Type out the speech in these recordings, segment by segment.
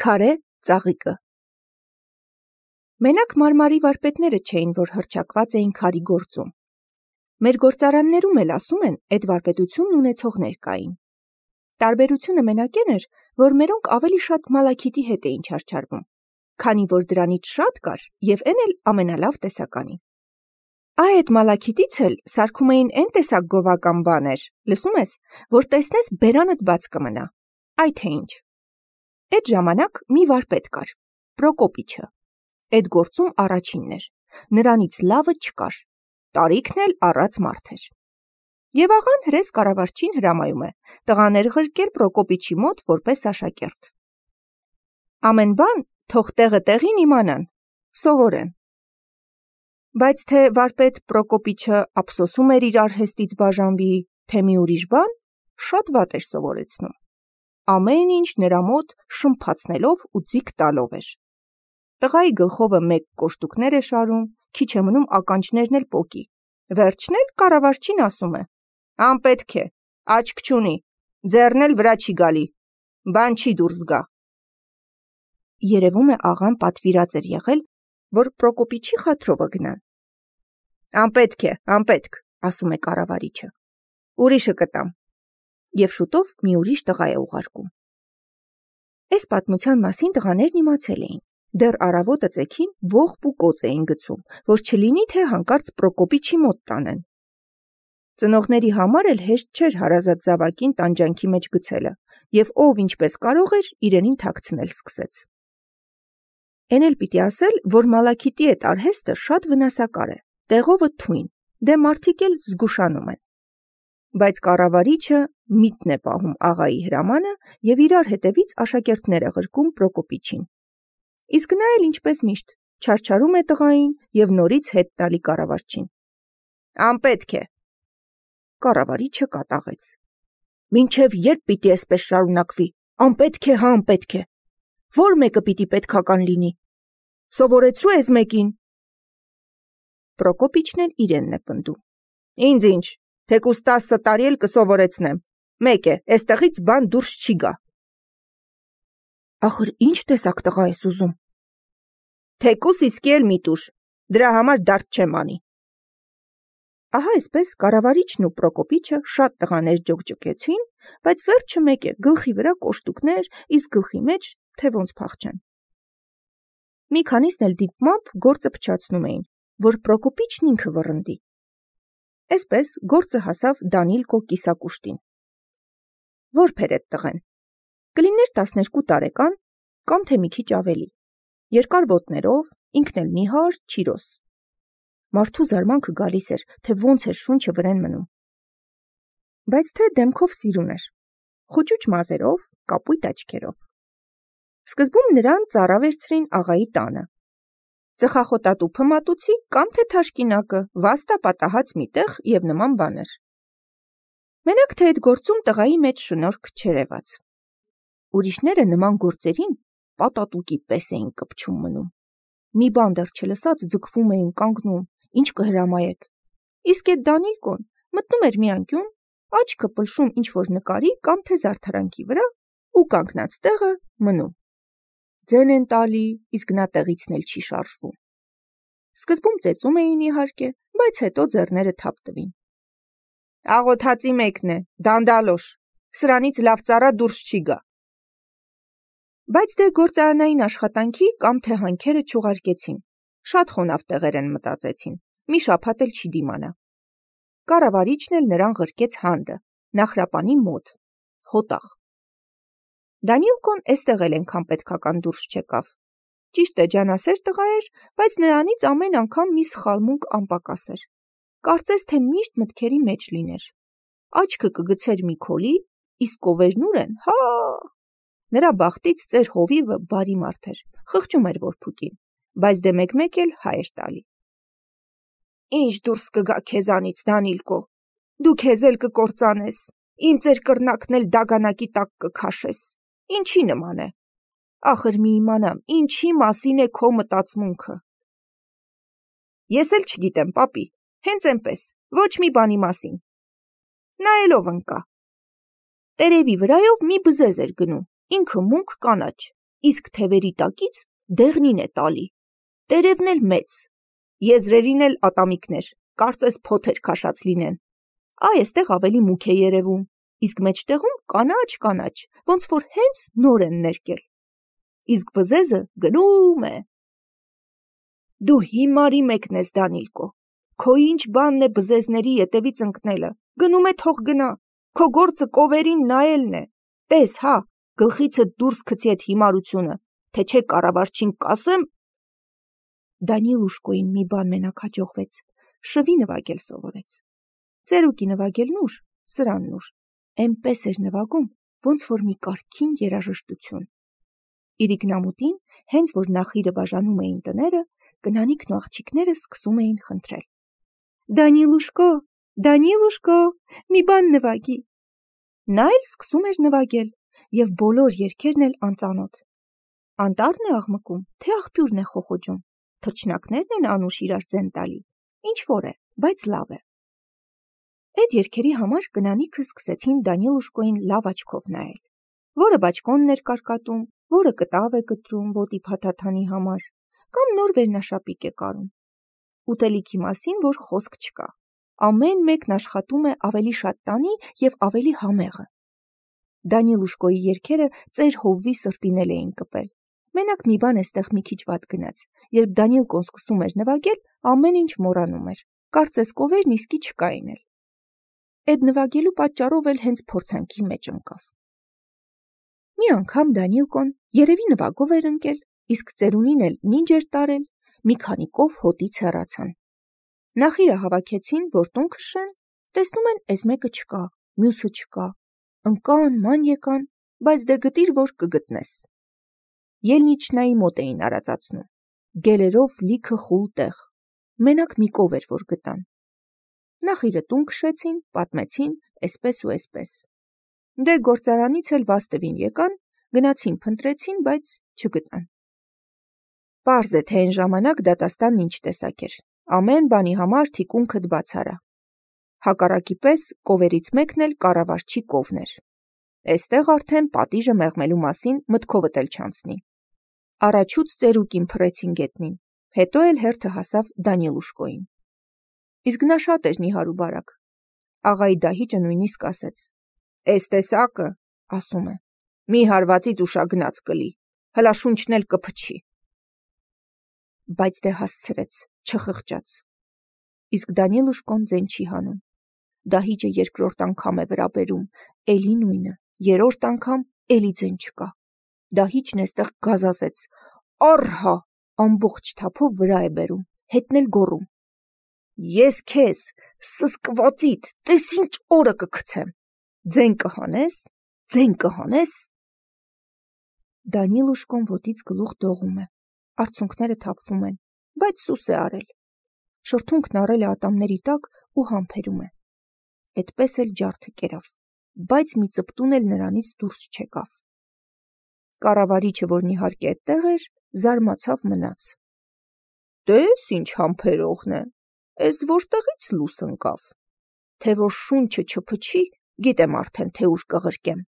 Քարե ծաղիկը։ Մենակ մարմարի վարպետները չէին, որ հռչակված էին քարի գործում։ Մեր գործարաններում էլ ասում են, այդ վարպետությունն ունեցողներ կային։ Տարբերությունը մենակ այն էր, որ մերոնք ավելի շատ մալաքիթի հետ էին չարչարվում, քանի որ դրանից շատ կար եւ այն էլ ամենալավ տեսականի։ Այդ մալաքիթից էլ սարքում էին այն տեսակ գովական բաներ, լսում ես, որ տեսնես բերանդ բաց կմնա։ Այ թե ինչ։ Այդ ժամանակ մի վարպետ կար, Պրոկոպիչը, այդ գործում առաջինն էր, նրանից լավը չկար, տարիքն էլ առած մարդ էր։ Եվ աղան հրես կառավարչին հրամայում է, տղաներ ղրկել Պրոկոպիչի մոտ որպես աշակերտ։ Ամեն բան թող տեղը տեղին իմանան, սովորեն։ Բայց թե վարպետ Պրոկոպիչը ափսոսում էր իր արհեստից բաժանվի, թե մի ուրիշ բան, շատ վատ էր սովորեցնում։ Ամեն ինչ նրա մոտ շմփացնելով ու ձիգ տալով էր։ Տղայի գլխովը մեկ կոշտուկներ է շարում, քիչ է մնում ականջներն էլ պոկի։ Վերջն էլ կառավարչին ասում է. «Անպետք է, աչք չունի, ձեռն էլ վրա չի գալի, բան չի դուրս գա»։ Երևում է աղան պատվիրած էր եղել, որ Պրոկոպիչի խաթրովը գնան։ «Անպետք է, անպետք», ասում է կառավարիչը։ «Ուրիշը կտամ»։ Եվ շուտով մի ուրիշ տղա է ուղարկում։ Այս պատմության մասին տղաներն իմացել էին։ Դեռ առավոտը ծեքին ողբ ու կոծ էին գցում, որ չլինի թե հանկարծ Պրոկոպիչի մոտ տանեն։ Ծնողների համար էլ հեշտ չէր հարազատ զավակին տանջանքի մեջ գցելը, եւ ով ինչպես կարող էր, իրենին թաքցնել սկսեց։ Էն էլ պիտի ասել, որ մալաքիթի այդ արհեստը շատ վնասակար է, տեղովը թույն, դե մարդիկ էլ զգուշանում են։ Բայց կառավարիչը միտն է պահում աղայի հրամանը եւ իրար հետևից աշակերտներ է ղրկում Պրոկոպիչին։ Իսկ նա էլ ինչպես միշտ չարչարում է տղային եւ նորից հետ տալի կառավարչին։ «Անպետք է»։ Կառավարիչը կատաղեց։ «Մինչև երբ պիտի այսպես շարունակվի, անպետք է, հա անպետք է։ Որ մեկը պիտի պետքական լինի։ Սովորեցրու ես մեկին»։ Պրոկոպիչն էլ իրենն է պնդում։ «Ինձ ինչ, թեկուզ 10 տարի էլ կսովորեցնեմ, մեկ է, այստեղից բան դուրս չի գա»։ Ախր ինչ տեսակ տղա ես ուզում։ «Թեկուս իսկի էլ մի տուր, դրա համար դարդ չեմ անի»։ Ահա այսպես կառավարիչն ու Պրոկոպիչը շատ տղաներ ջոկջկեցին, բայց վերջը մեկ է, գլխի վրա կոշտուկներ, իսկ գլխի մեջ թե ոնց փախչեն։ Մի քանիսն էլ դիտմամբ գործը փչացնում էին, որ Պրոկոպիչն ինքը վռնդի։ Այսպես գործը հասավ Դանիլկո կիսակուշտին։ Որբ էր այդ տղեն։ Կլիներ 12 տարեկան, կամ թե մի քիչ ավելի։ Երկար ոտներով, ինքն էլ նիհար, չիրոս։ Մարդու զարմանքը գալիս էր, թե ոնց էր շունչը վրեն մնում։ Բայց թե դեմքով սիրուն էր, խուճուճ մազերով, կապույտ աչքերով։ Սկզբում նրան ծառա վերցրին աղայի տանը։ Ծխախոտատուփը մատուցի կամ թե թաշկինակը, վաստա պատահած մի տեղ եւ նման բաներ։ Մենակ թե այդ գործում տղայի մեջ շնորհք չերևաց։ Ուրիշները նման գործերին պատատուկի պես էին կպչում մնում։ Մի բան դեռ չլսած ձգվում էին կանգնում, ինչ կհրամայեք։ Իսկ այդ Դանիլկոն մտնում էր մի անկյուն, աչքը պլշում ինչ-որ նկարի կամ թե զարդարանքի վրա ու կանգնած տեղը մնում։ Ձեն են տալի, իսկ նա տեղիցն էլ չի շարժվում։ Սկզբում ծեծում էին իհարկե, բայց հետո ձեռները թափ տվին։ «Աղոթածի մեկն է, դանդալոշ, սրանից լավ ծառա դուրս չի գա»։ Բայց դե գործարանային աշխատանքի կամ թե հանքերը չուղարկեցին, շատ խոնավ տեղեր են մտածեցին, մի շաբաթ էլ չի դիմանա։ Կառավարիչն էլ նրան ղրկեց հանդը, նախրապանի մոտ, հոտախ։ Դանիլկոն էստեղ էլ ենքան պետքական դուրս չեկավ։ Ճիշտ է, ջանասեր տղա էր, բայց նրանից ամեն անգամ մի սխալմունք անպակաս էր։ Կարծես թե միշտ մտքերի մեջ լիներ։ Աչքը կգցեր մի քոլի, իսկ կովերն ուր են, հա։ Նրա բախտից ծեր հովիվը բարի մարդ էր, խղճում էր որփուկին, բայց դե մեկ-մեկ էլ հայ էր տալի։ Ինչ դուրս կգա քեզանից, Դանիլկո, դու քեզ էլ կկործանես, իմ ծեր կռնակն էլ դագանակի տակ կքաշես, ինչի նման է։ Ախր մի իմանամ, ինչի մասին է քո մտածմունքը։ Ես էլ չգիտեմ, պապի, հենց այնպես, ոչ մի բանի մասին։ Նայելով ընկա։ Տերևի վրայով մի բզեզ էր գնում, ինքը մունք կանաչ, իսկ թևերի տակից դեղնին է տալի, տերևն էլ մեծ, եզրերին էլ ատամիկներ, կարծես փոթեր քաշած լինեն, այստեղ ավելի մուգ է երևում, իսկ մեջտեղում կանաչ, ոնց որ հենց նոր են ներկել, իսկ բզեզը գնում է։ Դու հիմարի մեկն ես, Դանիլկո, քո ինչ բանն է բզեզների ետևից ընկնելը, գնում է թող գնա, քո գործը կովերին նայելն է, տես հա, գլխիցդ դուրս գցի այդ հիմարությունը, թե չէ կառավարչին կասեմ։ Դանիլուշկոին մի բան մենակ հաջողվեց, շվի նվագել սովորեց։ Ծերուկի նվագելն ուր, սրանն ուր, էնպես էր նվագում, ոնց որ մի կարգին երաժշտություն։ Իր իգնամուտին, հենց որ նախիրը բաժանում էին տները, կնանիքն ու աղջիկները սկսում էին խնդրել. Դանիլուշկո, մի բան նվագի։ Նա էլ սկսում էր նվագել, եւ բոլոր երգերն էլ անծանոթ։ Անտառն է աղմկում, թե աղբյուրն է խոխոջում, թռչնակներն են անուշ իրար ձեն տալի, ինչ որ է, բայց լավ է։ Այդ երգերի համար կնանիքը սկսեցին Դանիլուշկոին լավ աչքով նայել, որը բաճկոնն էր կարկատում, որը կտավ է կտրում ոտի փաթաթանի համար, կամ նոր վերնաշապիկ է կարում։ Ուտելիքի մասին որ խոսք չկա, ամեն մեկն աշխատում է ավելի շատ տանի եւ ավելի համեղը։ Դանիլուշկոյի երգերը ծեր հովվի սրտին էին կպել։ Մենակ մի բան էստեղ մի քիչ վատ գնաց, երբ Դանիլկոն սկսում էր նվագել, ամեն ինչ մոռանում էր, կարծես կովերն իսկի չկային էլ։ Այդ նվագելու պատճառով էլ հենց փորձանքի մեջ ընկավ։ Մի անգամ Դանիլկոն երևի նվագով էր ընկել, իսկ ծերունին էլ նինջ էր տարել, մի քանի կով հոտից հեռացան։ Նախիրը հավաքեցին, որ տուն քշեն, տեսնում են էս մեկը չկա, մյուսը չկա, ընկան, ման եկան, բայց դե գտիր, որ կգտնես։ Ելնիչնայի մոտ էին արածացնում, գելերով լիքը խուլ տեղ, մենակ մի կով էր, որ գտան։ Նախիրը տուն քշեցին, պատմեցին, էսպես ու էսպես։ Դե գործարանից էլ վաստվին եկան, գնացին փնտրեցին, բայց չգտան։ Պարզ է, թե այն ժամանակ դատաստանն ինչ տեսակ էր, ամեն բանի համար թիկունքդ բաց արա։ Հակառակի պես կովերից մեկն էլ կառավարչի կովն էր։ Էստեղ արդեն պատիժը մեղմելու մասին մտքովդ էլ չանցնի։ Առաջուց ծերուկին փռեցին գետնին, հետո էլ հերթը հասավ Դանիլուշկոին։ Իսկ նա շատ էր նիհար ու բարակ։ Աղայի դահիճը նույնիսկ ասեց. «Էս տեսակը, ասում է, մի հարվածից ուշագնաց կլի, հլա շունչն էլ կփչի»։ Բայց դե հասցրեց, չխղճաց։ Իսկ Դանիլուշկոն ձեն չի հանում։ Դահիճը երկրորդ անգամ է վրա բերում, էլի նույնը, երրորդ անգամ էլի ձեն չկա։ Դահիճն էստեղ գազազեց, առհա, ամբողջ թափով վրա է բերում, հետն էլ գոռում. «Ես քեզ, սսկվածիդ, տես ինչ օրը կգցեմ, ձեն կհանես»։ Դանիլուշկոն ոտից գլուխ դողում է, արցունքները թափվում են, բայց սուս է արել։ Շրթունքն առել է ատամների տակ ու համբերում է։ Էդպես էլ ջարդը կերավ, բայց մի ծպտուն էլ նրանից դուրս չեկավ։ Կառավարիչը, որն իհարկե այդտեղ էր, զարմացավ մնաց։ Տես ինչ համբերողն է, էս որտեղից լուս ընկավ, թե որ շունչը չփչի, գիտեմ արդեն, թե ուր կղրկեմ։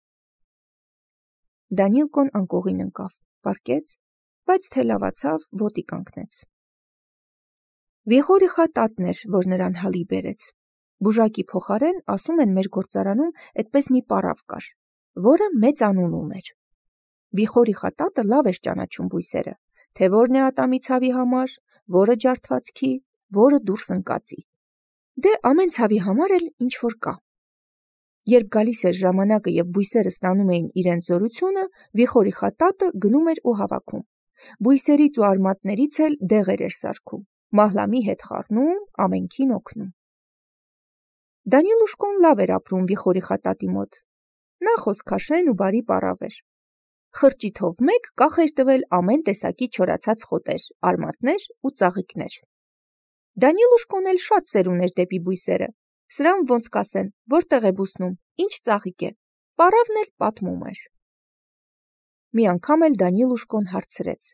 Դանիլկոն անկողին ընկավ, պառկեց, բայց թե լավացավ, ոտի կանգնեց։ Վիխորիխա տատն էր, որ նրան հալի բերեց։ Բուժակի փոխարեն, ասում են, մեր գործարանում այդպես մի պարավ կար, որը մեծ անուն ուներ։ Վիխորիխա տատը լավ էր ճանաչում բույսերը, թե որն է ատամի ցավի համար, որը ջարդվածքի, որը դուրս ընկածի։ Դե ամեն ցավի համար էլ ինչ որ կա։ Երբ գալիս էր ժամանակը եւ բույսերը ստանում էին իրենց զորությունը, Վիխորիխա տատը գնում էր ու հավաքում։ Բույսերից ու արմատներից էլ դեղեր էր սարքում, մահլամի հետ խառնում, ամենքին օգնում։ Դանիլուշկոն լավ էր ապրում Վիխորիխա տատի մոտ։ Նա խոսքաշեն ու բարի պարավ էր։ Խրճիթով մեկ կախ էր տվել ամեն տեսակի չորացած խոտեր, արմատներ ու ծաղիկներ։ Դանիլուշկոն էլ շատ սեր ուներ դեպի բույսերը։ Սրան ոնց կասեն, որտեղ է բուսնում, ինչ ծաղիկ է, պարավն էլ պատմում էր։ Մի անգամ էլ Դանիլուշկոն հարցրեց.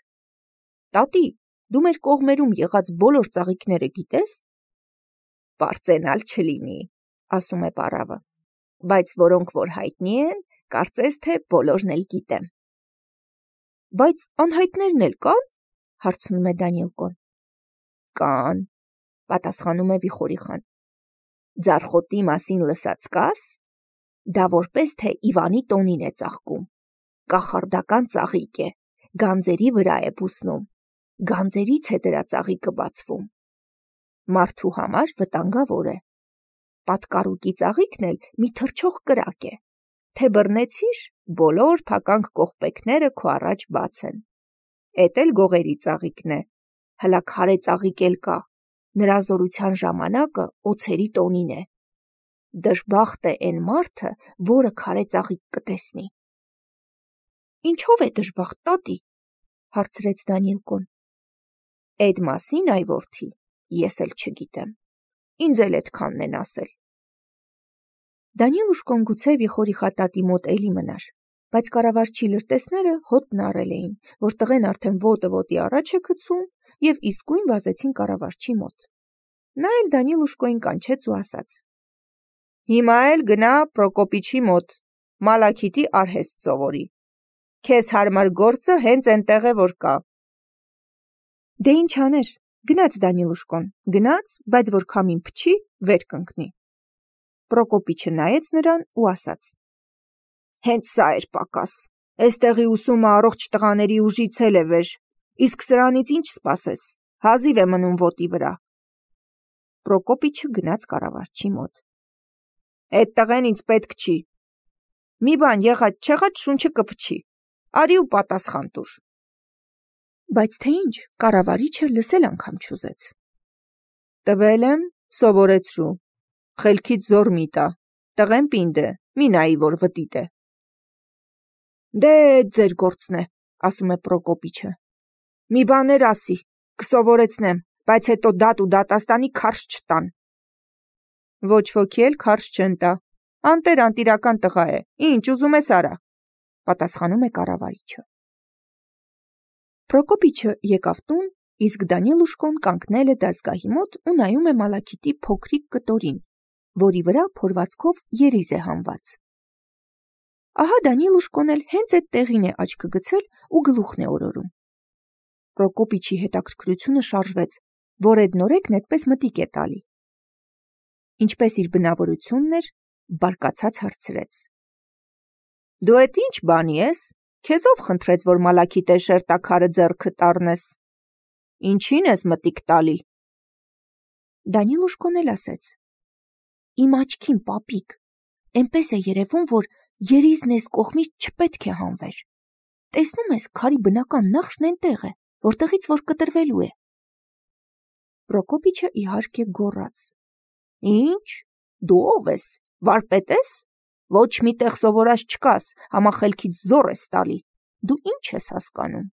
«Տատի, դու մեր կողմերում եղած բոլոր ծաղիկները գիտես»։ «Պարծենալ չլինի», ասում է պարավը, «բայց որոնք որ հայտնի են, կարծես թե բոլորն էլ գիտեմ»։ Բայց անհայտներն էլ կան, հարցնում է Դանիելկոն։ Կան, պատասխանում է Վիխորիխան։ Ձարխոտի մասին լսած կաս, դա որպես թե Իվանի տոնին է ծաղկում, կախարդական ծաղիկ է, գանձերի վրա է բուսնում, գանձերից է դրա ծաղիկը բացվում։ Մարդու համար վտանգավոր է։ Պատկառուկի ծաղիկն էլ մի թռչող կրակ է, թե բռնեցիր, բոլոր փականք կողպեքները քո առաջ բաց են։ Էդ էլ գողերի ծաղիկն է, հլա քարե ծաղիկ էլ կա, նրա զորության ժամանակը օձերի տոնին է։ Դժբախտ է այն մարդը, որը քարե ծաղիկ կտեսնի։ Ինչով է դժբախտ, տատի, հարցրեց Դանիելկոն։ Էդ մասին, այ որդի, ես էլ չգիտեմ, ինձ էլ էդքանն են ասել։ Դանիելուշկոն գուցե Վիխորիխատատի մոտ էլի մնար, բայց կառավարչի լրտեսները հոտն առել էին, որ տղեն արդեն ոտը ոտի առաջ է գցում և իսկույն վազեցին կառավարչի մոտ։ Նա էլ Դանիելուշկոին կանչեց ու ասաց. Հիմա էլ գնա Պրոկոպիչի մոտ, Մալաքիթի արհեստ սովորի։ Քեզ հարմար գործը հենց էնտեղ է որ կա։ Դե ինչ աներ, գնաց Դանիելուշկոն, գնաց, բայց որ քամին փչի, վեր կընկնի։ Պրոկոպիչը նայեց նրան ու ասաց. Հենց սա էր պակաս, էստեղի ուսումը առողջ տղաների ուժից էլ է վեր, իսկ սրանից ինչ սպասես, հազիվ է մնում ոտի վրա։ Պրոկոպիչը գնաց կառավարչի մոտ։ Էդ տղեն ինձ պետք չի։ Մի բան եղած շունչը կփչի, արի ու պատասխան տուր։ Բայց թե ինչ, կառավարիչը լսել անգամ չուզեց։ Տվել եմ, սովորեցրու, խելքից զոր մի տա, տղեն պինդ է, մի նայի, որ վտիտ է։ Դե ձեր գործն է, ասում է Պրոկոպիչը։ Մի բաներ ասի, կսովորեցնեմ, բայց հետո դատ ու դատաստանի քարշ չտան։ Ոչ ոքի էլ քարշ չեն տա, անտիրական տղա է, ինչ ուզում ես արա, պատասխանում է կառավարիչը։ Պրոկոպիչը եկավ տուն, իսկ Դանիելուշկոն կանգնել է դասգահի մոտ ու նայում է Մալաքիթի փոքրիկ կտորին, որի վրա փորվածքով երիզ է հանված։ Ահա Դանիելուշկոն էլ հենց այդ տեղին է աչքը գցել ու գլուխն է օրորում։ Պրոկոպիչի հետաքրքրությունը շարժվեց, որ այդ նորեկն այդպես մտիկ է տալի։ Ինչպես իր բնավորությունն էր, բարկացած հարցրեց. Դու էդ ինչ բանի ես, քեզ ով խնդրեց, որ Մալաքիթե շերտաքարը ձեռքդ առնես, ինչին ես մտիկ տալի։ Դանիելուշկոն էլ ասեց. Իմ աչքին, պապիկ, էնպես է երևում, որ երիզն ես կողմից չպետք է հանվեր։ Տեսնում ես, քարի բնական նախշն էնտեղ է, որտեղից որ կտրվելու է։ Պրոկոպիչը իհարկե գոռաց. Ինչ, դու ով ես, վարպետ ես, ոչ մի տեղ սովորած չկաս, համախելքից զոր ես տալի, դու ինչ ես հասկանում։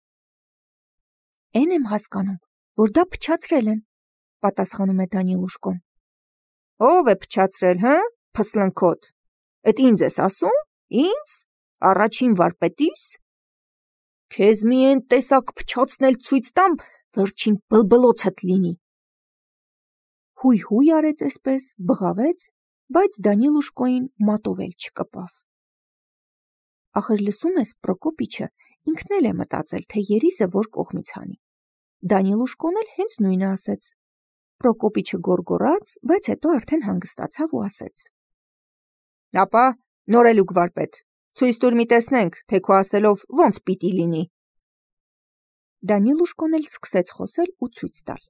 Էն եմ հասկանում, որ դա փչացրել են, պատասխանում է Դանիելուշկոն։ Ով է փչացրել, հը, փսլնքոտ, էդ ինձ ես ասում, ինձ, առաջին վարպետիս։ Քեզ մի են տեսակ փչացնել ցույց տամ, վերջին բլբլոցդ լինի։ Հույ արեց էսպես, բղավեց, բայց Դանիելուշկոին մատով էլ չկպավ։ Ախր լսում ես, Պրոկոպիչը ինքն էլ է մտածել, թե երիզը որ կողմից հանի։ Դանիելուշկոն էլ հենց նույնը ասեց։ Պրոկոպիչը գոռգոռաց, բայց հետո արդեն հանգստացավ ու ասեց. Ապա նորելուկ վարպետ, ցույց տուր մի տեսնենք, թե քո ասելով ոնց պիտի լինի։ Դանիելուշկոն էլ սկսեց խոսել ու ցույց տալ։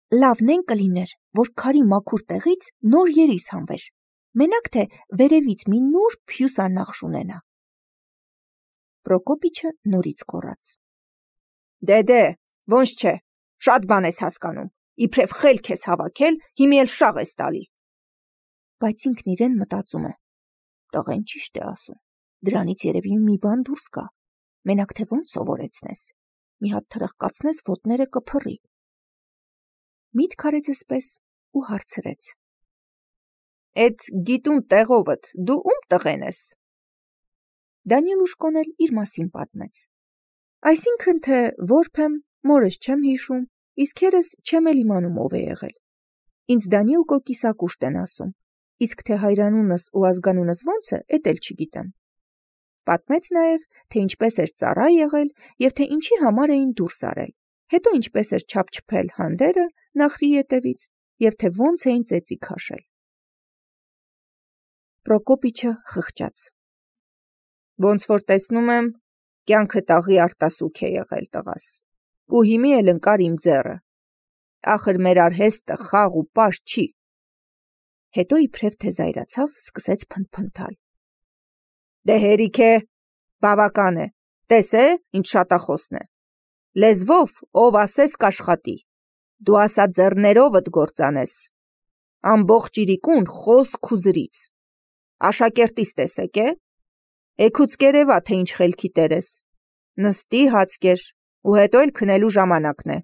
Լավն են կլիներ, որ քարի մաքուր տեղից նոր երիզ հանվեր, մենակ թե վերևից մի նուրբ հյուսանախշ ունենա։ Պրոկոպիչը նորից գոռաց. Դե, ոնց չէ, շատ բան ես հասկանում, իբրև խելք ես հավաքել, հիմի էլ շաղ ես տալի։ Բայց ինքն իրեն մտածում է. Տղեն ճիշտ է ասում, դրանից երևի մի բան դուրս գա, մենակ թե ոնց սովորեցնես, մի հատ թրխկացնես ոտները կփռի։ Միտք արեց էսպես ու հարցրեց. Էդ գիտուն տեղովդ դու ում տղեն ես։ Դանիելուշկոն էլ իր մասին պատմեց։ Այսինքն թե որբ եմ, մորս չեմ հիշում, իսկ երես չեմ էլ իմանում ով է եղել։ Ինձ Դանիելկո կիսակուշտ են ասում, իսկ թե հայրանունս ու ազգանունս ոնց է, էդ էլ չգիտեմ։ Պատմեց նաև, թե ինչպես էր ծառա եղել և թե ինչի համար էին դուրս արել, հետո ինչպես էր չափչփել հանդերը նախրի ետևից և թե ոնց էին ծեծի քաշել։ Պրոկոպիչը խղճաց. Ոնց որ տեսնում եմ, կյանքդ աղի արտասուք է եղել տղաս, ու հիմի էլ ընկար իմ ձեռը, ախր մեր արհեստը խաղ ու պաշտ չի։ Հետո իբրև թե զայրացավ, սկսեց փնթփնթալ. Դե հերիք է, բավական է, տես է, ինչ շատախոսն է, լեզվով ով ասես կաշխատի, դու ասա ձեռներովդ գործանես, ամբողջ իրիկուն խոսք ու զրից, աշակերտիս տեսեք է, էգուց կերևա, թե ինչ խելքի տեր ես, նստի հացկեր, ու հետո էլ քնելու ժամանակն է։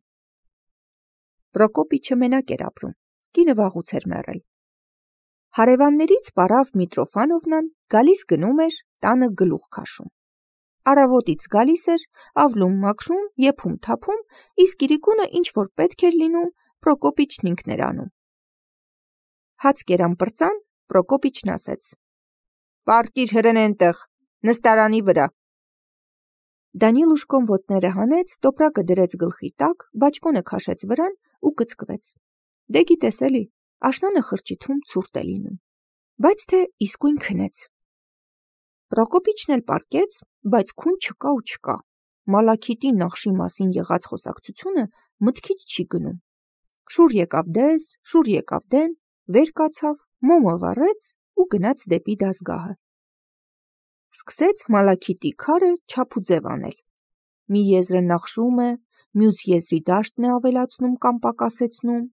Պրոկոպիչը մենակ էր ապրում, կինը վաղուց էր մեռել։ Հարևաններից պարավ Միտրոֆանովնան գալիս գնում էր, տանը գլուխ քաշում։ Առավոտից գալիս էր, ավլում մաքրում, եփում թափում, իսկ իրիկունը ինչ որ պետք էր լինում, Պրոկոպիչն ինքն էր անում։ Հաց կերան պրծան, Պրոկոպիչն ասեց. Պարկիր հրեն ենտեղ, նստարանի վրա։ Դանիլուշկոն ոտները հանեց, տոպրակը դրեց գլխի տակ, բաճկոնը քաշեց վրան ու կծկվեց։ Դե գիտես էլի, աշնանը խրճիթում ցուրտ է լինում, բայց թե իսկույն քնեց։ Պրոկոպիչն էլ պառկեց, բայց քուն չկա ու չկա։ Մալաքիտի նախշի մասին եղած խոսակցությունը մտքից չի գնում։ Շուռ եկավ դես, շուռ եկավ դեն, վեր կացավ, մոմը վառեց ու գնաց դեպի դասգահը։ Սկսեց Մալաքիտի քարը չափ ու ձև անել։ Մի եզրը նախշում է, մյուս եզրի դաշտն է ավելացնում կամ պակասեցնում,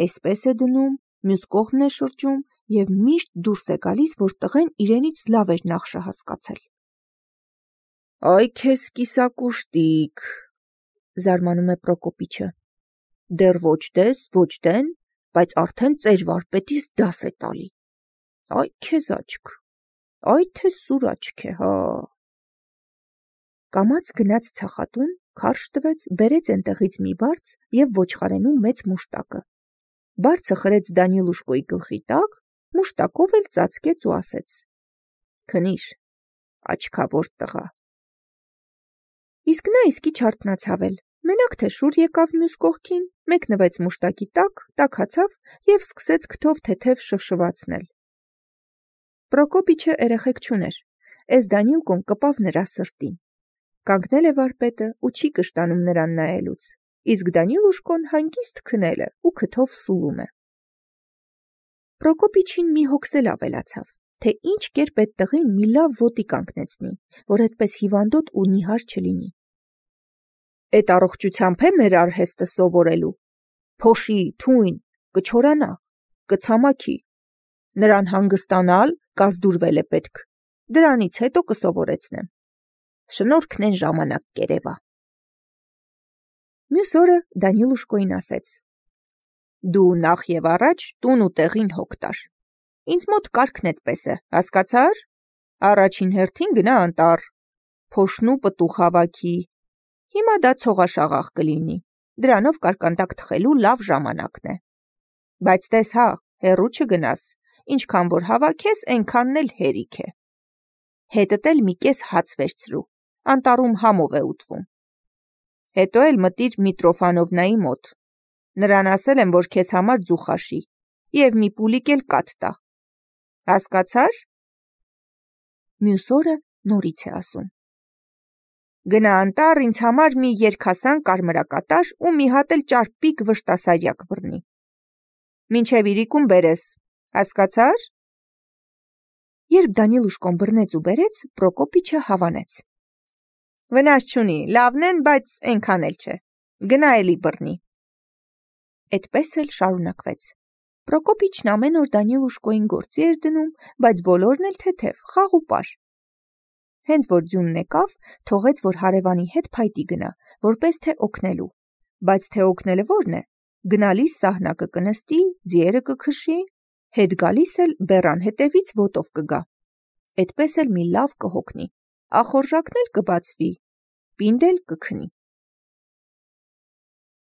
էսպես է դնում, մյուս կողմն է շրջում և միշտ դուրս է գալիս, որ տղեն իրենից լավ էր նախշը հասկացել։ Այ քեզ կիսակուշտիկ, զարմանում է Պրոկոպիչը, դեռ ոչ դես, ոչ դեն, բայց արդեն ծեր վարպետից դաս է տալի։ Այ քեզ աչք, այ թե սուր աչք է, հա։ Կամաց գնաց ցախատուն, քարշ տվեց, բերեց ենտեղից մի բարձ և ոչխարենու մեծ մուշտակը։ Բարձը խրեց Դանիլուշկոյի գլխի տակ, մուշտակով էլ ծածկեց ու ասեց. Քնիր, աչքավոր տղա։ Իսկ նա իսկի չարթնացավ էլ, մենակ թե շուռ եկավ մյուս կողքին, մեկնվեց մուշտակի տակ, տաքացավ և սկսեց քթով թեթև շվշվացնել։ Պրոկոպիչը երեխեք չուներ, էս Դանիլկոն կպավ նրա սրտին։ Կանգնել է վարպետը ու չի կշտանում նրան նայելուց, իսկ Դանիլուշկոն հանգիստ քնել է ու քթով սուլում է։ Պրոկոպիչին մի հոգս էլ ավելացավ, թե ինչ կերպ այդ տղին մի լավ ոտի կանգնեցնի, որ այդպես հիվանդոտ ու նիհար չլինի։ Էդ առողջությամբ է մեր արհեստը սովորելու, փոշի, թույն, կչորանա, կցամաքի, նրան հանգստանալ, կազդուրվել է պետք, դրանից հետո կսովորեցնեմ։ Շնորհքն են ժամանակ կերևա։ Մյուս օրը Դանիլուշկոին ասեց. Դու նախ եւ առաջ տուն ու տեղին հոգ տար։ Ինձ մոտ կարգն էդպես է, հասկացար։ Առաջին հերթին գնա անտառ, փոշնու պտուղ հավաքի։ Հիմա դա ցողաշաղախ կլինի, դրանով կարկանդակ թխելու լավ ժամանակն է։ Բայց տես հա, հեռու չգնաս, ինչքան որ հավաքես, այնքանն էլ հերիք է։ Հետդ էլ մի կես հաց վերցրու, անտառում համով է ուտվում։ Հետո էլ մտիր Միտրոֆանովնայի մոտ։ Նրան ասել եմ, որ քեզ համար ձուխ աշի, և մի պուլիկ էլ կաթ տա։ Հասկացար։ Մյուս օրը նորից է ասում. Գնա անտառ ինձ համար մի երկհասան կարմրակատար ու մի հատ էլ ճարպիկ վշտասարյակ բռնի։ Մինչև իրիկուն բերես, հասկացար։ Երբ Դանիլուշկոն բռնեց ու բերեց, Պրոկոպիչը հավանեց. Վնաս չունի, լավն են, բայց այնքան էլ չէ, գնա էլի բռնի։ Էդպես էլ շարունակվեց։ Պրոկոպիչն ամեն օր Դանիլուշկոյին գործի էր դնում, բայց բոլորն էլ թեթև, խաղ ու պար։ Հենց որ ձյունն եկավ, թողեց, որ հարևանի հետ փայտի գնա, որպես թե օգնելու, բայց թե օգնելը որն է, գնալիս սահնակը կնստի, ձիերը կքշի, հետ գալիս էլ բեռան հետևից ոտով կգա։ Էդպես էլ մի լավ կհոգնի, ախորժակն էլ կբացվի, պինդ էլ կքնի։